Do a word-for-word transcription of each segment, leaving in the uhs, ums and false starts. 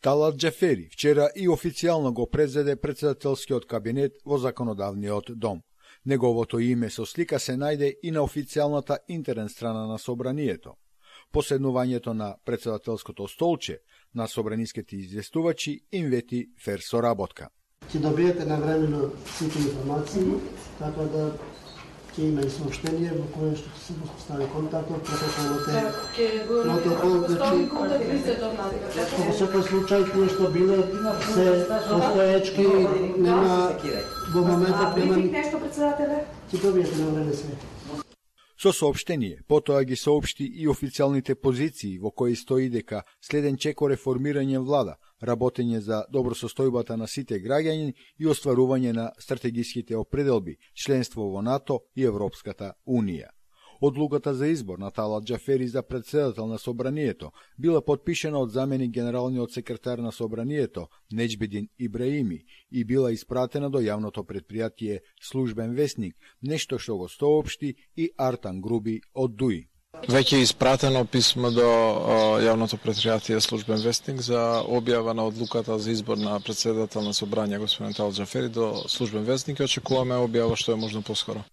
Талат Џафери вчера и официјално го презеде председателскиот кабинет во законодавниот дом. Неговото име со слика се најде и на официјалната интернет страна на собранието. Поседнувањето на председателското столче на собраниските известувачи им вети фер соработка. Ќе добиете навремено сите информации, така да ќе има и сообщение во кое што се постави контактот, протоколот е протокол, значи во секој случај кој што било се постоечки, нема во моментот нема нешто председателе. Ќе добиете навреме све. Со соопштение, потоа ги соопшти и официјалните позиции во кои стои дека следен чеко реформирање влада, работење за добросостојбата на сите граѓани и остварување на стратегиските определби, членство во НАТО и Европската Унија. Одлуката за избор на Талат Џафери за председател на собранието била подпишена од заменик генералниот секретар на собранието Неџбедин Ибраими и била испратена до јавното предпријатие Службен вестник, нешто што го соопшти и Артан Груби од ДУИ. Веќе е испратено писмо до јавното предпријатие Службен вестник за објава на одлуката за избор на председател на собрање господин Талат Џафери до Службен вестник и очекуваме објава што е можно поскоро.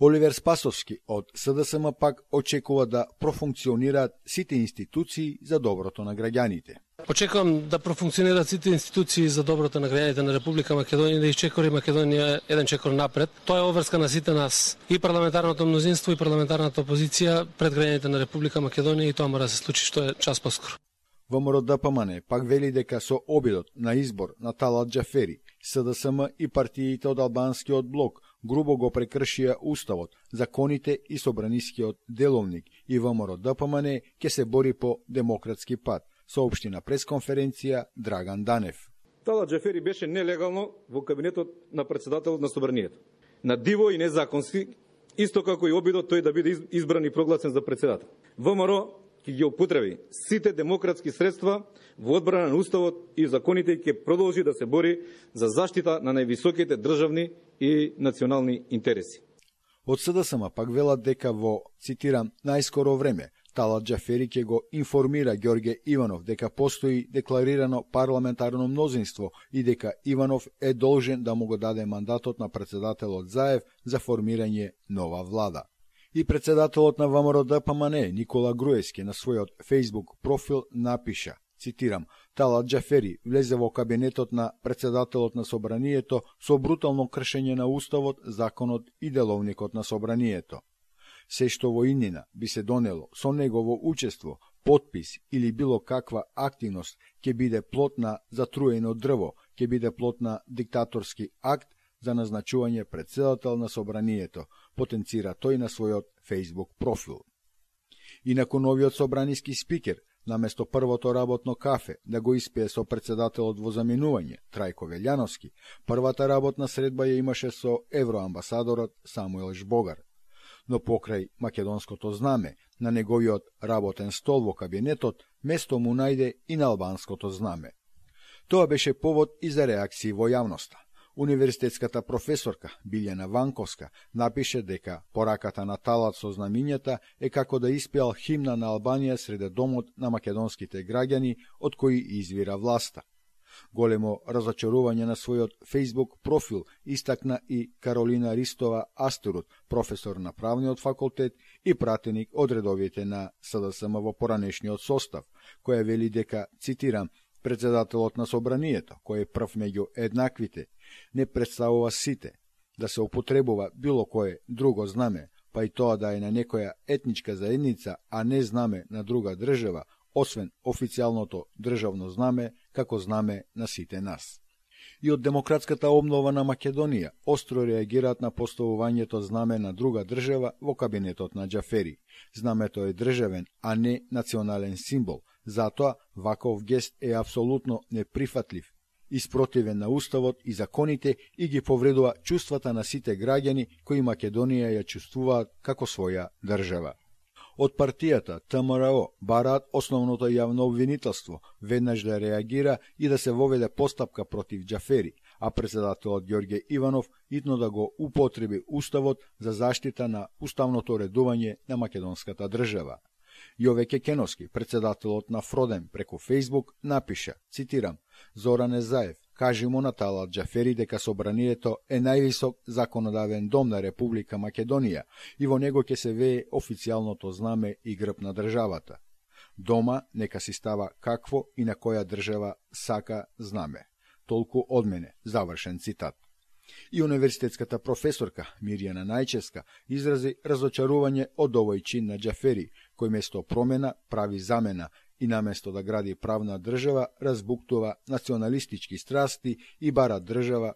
Оливер Спасовски од СДСМ пак очекува да профункционираат сите институции за доброто на граѓаните. Очекувам да профункционираат сите институции за доброто на граѓаните на Република Македонија, да исчекори Македонија еден чекор напред. Тоа е обврска на сите нас, и парламентарното мнозинство и парламентарната опозиција пред граѓаните на Република Македонија, и тоа мора да се случи што е час поскоро. ВМРО ДПМН пак вели дека со обидот на избор на Талат Џафери, СДСМ и партиите од албанскиот блок грубо го прекршија уставот, законите и собранискиот деловник, и ВМРО ДПМН ќе се бори по демократски пат, соопшти на пресконференција Драган Данев. Талат Џафери беше нелегално во кабинетот на председателот на собранието. На диво и незаконски, исто како и обидот тој да биде избран и прогласен за председател. ВМРО ќе ги употреби сите демократски средства во одбрана на уставот и законите и ќе продолжи да се бори за заштита на највисоките државни и национални интереси. Од СДСМ пак велат дека во, цитирам, најскоро време Талат Џафери ќе го информира Ѓорѓе Иванов дека постои декларирано парламентарно мнозинство и дека Иванов е должен да му го даде мандатот на председателот Заев за формирање нова влада. И председателот на ВМРО ДПМН Никола Груевски на својот Facebook профил напиша, цитирам, Талат Џафери влезе во кабинетот на председателот на собранието со брутално кршење на уставот, законот и деловникот на собранието. Се што во иднина би се донело со негово учество, подпис или било каква активност ќе биде плод на затруено дрво, ќе биде плод на диктаторски акт за назначување председател на собранието, потенцира тој на својот Facebook профил. Инаку новиот собраниски спикер, наместо првото работно кафе да го испие со председателот во заменување, Трајко Велјановски, првата работна средба ја имаше со евроамбасадорот Самуел Жбогар. Но покрај македонското знаме, на неговиот работен стол во кабинетот, место му најде и на албанското знаме. Тоа беше повод и за реакции во јавноста. Универзитетската професорка Билјана Ванковска напише дека пораката на Талат со знамињата е како да испеал химна на Албанија среде домот на македонските граѓани од кои извира власта. Големо разочарување на својот Facebook профил истакна и Каролина Ристова Астерут, професор на правниот факултет и пратеник од редовите на СДСМ во поранешниот состав, која вели дека, цитирам, председателот на собранието, кој е прв меѓу еднаквите, не представува сите, да се употребува било кое друго знаме, па и тоа да е на некоја етничка заедница, а не знаме на друга држава, освен официјалното државно знаме, како знаме на сите нас. И од демократската обнова на Македонија остро реагираат на поставувањето знаме на друга држава во кабинетот на Џафери. Знамето е државен, а не национален символ, затоа ваков гест е апсолутно неприфатлив, испротивен на уставот и законите и ги повредува чувствата на сите граѓани кои Македонија ја чувствуваат како своја држава. Од партијата ТМРО бараат основното јавно обвинителство веднаш да реагира и да се воведе постапка против Џафери, а председателот Ѓорѓе Иванов итно да го употреби уставот за заштита на уставното редување на македонската држава. Јове Кекеновски, председателот на Фроден, преку Фејсбук напиша, цитирам: Зоране Заев, кажи му на Талат Џафери дека собранието е највисок законодавен дом на Република Македонија и во него ќе се вее официјалното знаме и грб на државата. Дома нека си става какво и на која држава сака знаме. Толку од мене, завршен цитат. И универзитетската професорка Мирјана Најчевска изрази разочарување од овој чин на Џафери, кој место промена прави замена и наместо да гради правна држава, разбуктува националистички страсти и бара држава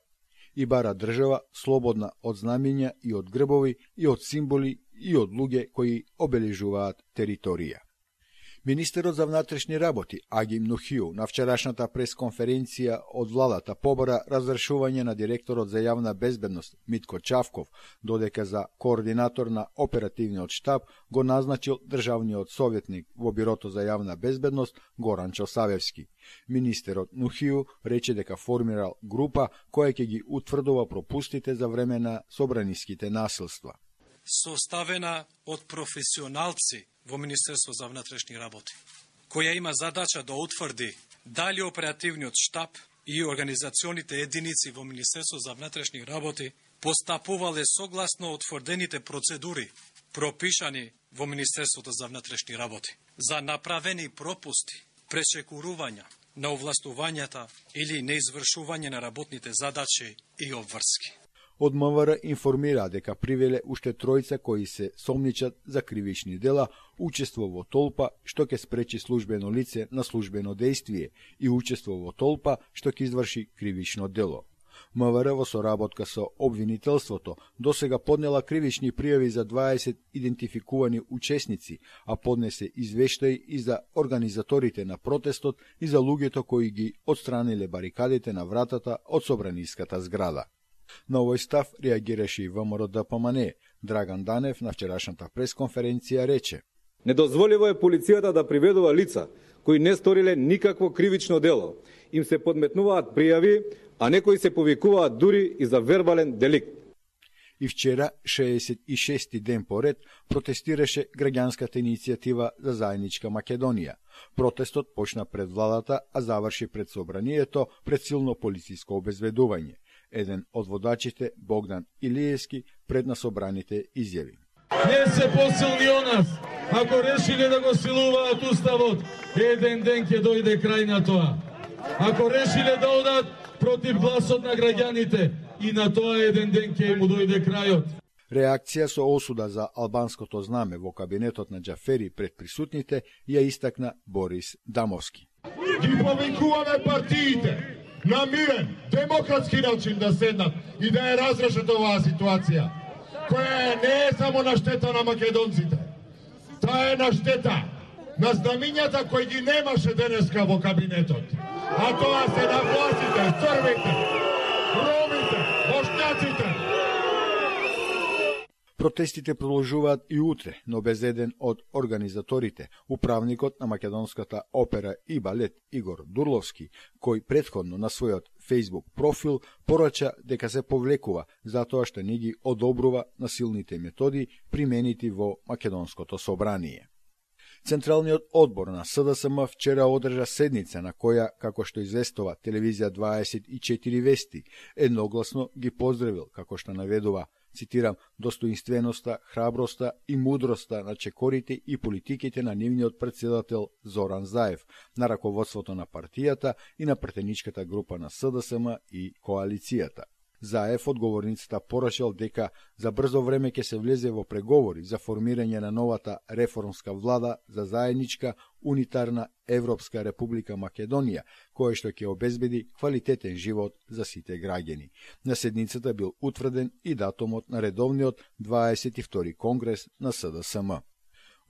и бара држава слободна од знамиња и од грбови и од символи и од луѓе кои обележуваат територија. Министерот за внатрешни работи Агим Нухиу на вчерашната пресконференција од владата побара разрешување на директорот за јавна безбедност Митко Чавков, додека за координатор на оперативниот штаб го назначил државниот советник во Бирото за јавна безбедност Горанчо Савевски. Министерот Нухиу рече дека формирал група која ќе ги утврдува пропустите за време на собраниските насилства. Составена од професионалци во Министерство за внатрешни работи, која има задача да утврди дали оперативниот штаб и организационите единици во Министерство за внатрешни работи постапувале согласно утврдените процедури пропишани во Министерството за внатрешни работи за направени пропусти, пречекурувања на овластувањата или неизвршување на работните задачи и обврски. Од МВР информира дека привеле уште тројца кои се сомничат за кривични дела, учество во толпа што ќе спречи службено лице на службено дејствие и учество во толпа што ќе изврши кривично дело. МВР во соработка со обвинителството досега поднела кривични пријави за дваесет идентификувани учесници, а поднесе извештаи и за организаторите на протестот и за луѓето кои ги отстраниле барикадите на вратата од собраниската зграда. На овој став реагираше и ВМРО Д П М Н. Драган Данев на вчерашната пресконференција рече: Недозволиво е полицијата да приведува лица кои не сториле никакво кривично дело. Им се подметнуваат пријави, а некои се повикуваат дури и за вербален деликт. И вчера, шеесет и шести ден поред, протестираше граѓанската иницијатива за заедничка Македонија. Протестот почна пред владата, а заврши пред собранието пред силно полициско обезбедување. Еден од водачите, Богдан Илиевски, пред на собраните изјави: Не се посилни од нас. Ако решиле да го силуваат уставот, еден ден ќе дојде крај на тоа. Ако решиле да одат против гласот на граѓаните, и на тоа еден ден ќе му дојде крајот. Реакција со осуда за албанското знаме во кабинетот на Џафери пред присутните ја истакна Борис Дамовски. Ги повикуваме партиите на мирен, демократски начин да седнат и да ја разрешат оваа ситуација, која не е само на штета на македонците. Таа е на штета на знамињата кои ги немаше денеска во кабинетот. А тоа се на властите, црвите, ромите, бошњаците. Протестите продолжуваат и утре, но без еден од организаторите, управникот на македонската опера и балет Игор Дурловски, кој претходно на својот Facebook профил порача дека се повлекува затоа што не ги одобрува насилните методи применити во македонското собрание. Централниот одбор на С Д С М вчера одржа седница на која, како што известува телевизија дваесет и четири Вести, едногласно ги поздравил, како што наведува, цитирам, достоинственоста, храброста и мудроста на чекорите и политиките на нивниот председател Зоран Заев, на раководството на партијата и на претеничката група на С Д С М и коалицијата. Заев одговорницата порачал дека за брзо време ќе се влезе во преговори за формирање на новата реформска влада за заедничка унитарна Европска република Македонија, која што ќе обезбеди квалитетен живот за сите граѓани. На седницата бил утврден и датумот на редовниот дваесет и втори конгрес на С Д С М.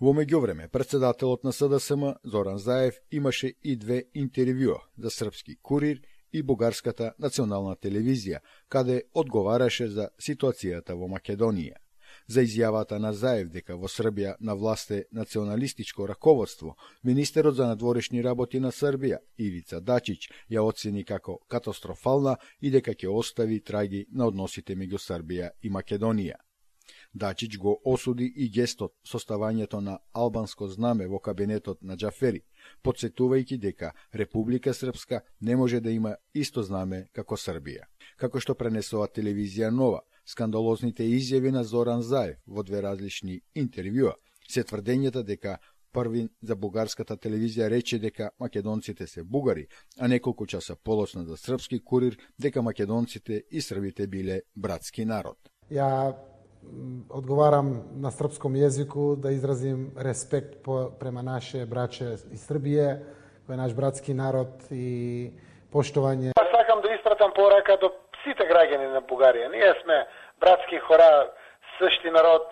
Во меѓувреме, председателот на С Д С М, Зоран Заев, имаше и две интервјуа за Српски курир и Бугарската национална телевизија, каде одговараше за ситуацијата во Македонија. За изјавата на Заев дека во Србија на власт е националистичко раководство, министерот за надворешни работи на Србија, Ивица Дачич, ја оцени како катастрофална и дека ќе остави траги на односите меѓу Србија и Македонија. Дачич го осуди и гестот со ставањето на албанско знаме во кабинетот на Џафери, подсетувајќи дека Република Српска не може да има исто знаме како Србија. Како што пренесува телевизија Нова, скандалозните изјави на Зоран Заев во две различни интервјуа се тврдењата дека први за бугарската телевизија рече дека македонците се бугари, а неколку часа полосна за српски курир дека македонците и србите биле братски народ. Ја одговарам на српском јазику да изразим респект по, према наше браче из Србија, кој е наш братски народ и поштовање. Сакам да испратам порака до сите граѓани на Бугарија. Ние сме братски хора, същи народ.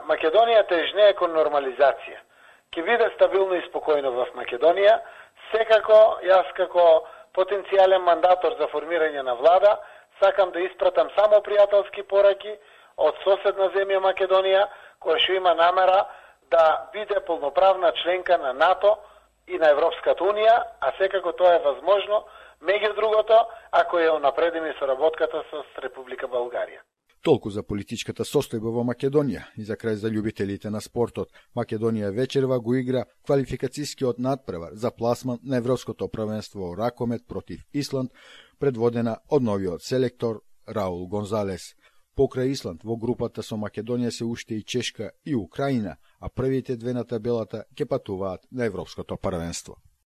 Македонија тежнее кон нормализација. Ке биде стабилно и спокојно в Македонија. Секако, јас како потенцијален мандатор за формирање на влада, сакам да испратам само пријателски пораки од соседна земја Македонија, која што има намера да биде полноправна членка на НАТО и на Европската Унија, а секако тоа е возможно, меѓу другото, ако ја унапредиме соработката со Република Българија. Толку за политичката состојба во Македонија и за крај за љубителите на спортот. Македонија вечерва го игра квалификацискиот надпревар за пласман на Европското првенство ракомет против Исланд, предводена од новиот селектор Раул Гонзалес. Покрај Исланд во групата со Македонија се уште и Чешка и Украина, а првите две на табелата ќе патуваат на Европското првенство.